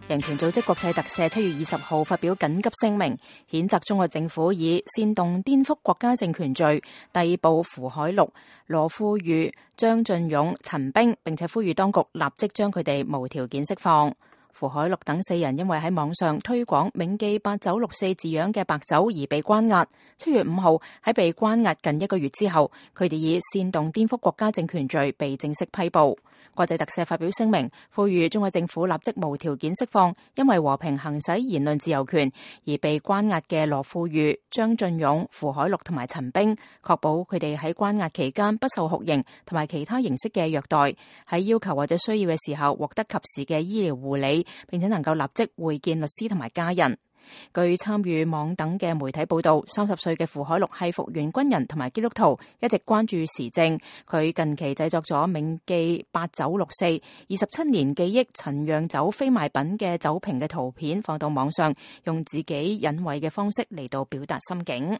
人權組織國際特赦7月20號發表緊急聲明，譴責中國政府以煽動顛覆國家政權罪逮捕符海綠、羅富裕、張進勇、陳冰，並且呼籲當局立即將佢哋無條件釋放。符海綠等4人因為喺網上推廣銘記八九六四字樣嘅白酒而被關押。7月5號喺被關押近1個月之後，佢哋以煽動顛覆國家政權罪被正式批捕。國際特赦發表聲明，呼籲中國政府立即無條件釋放因為和平行使言論自由權而被關押嘅羅富裕、張進勇、符海綠同埋陳冰，確保佢哋喺關押期間不受酷刑同埋其他形式嘅虐待，喺要求或者需要嘅時候獲得及時嘅醫療護理，並且能夠立即會見律師同埋家人。據參與網等嘅媒體報道，30歲嘅符海綠係復員軍人同埋基督徒，一直關注時政。佢近期製作咗銘記八九六四27年記憶陳釀酒非賣品嘅酒瓶嘅圖片放到網上，用自己隱晦嘅方式嚟到表達心境。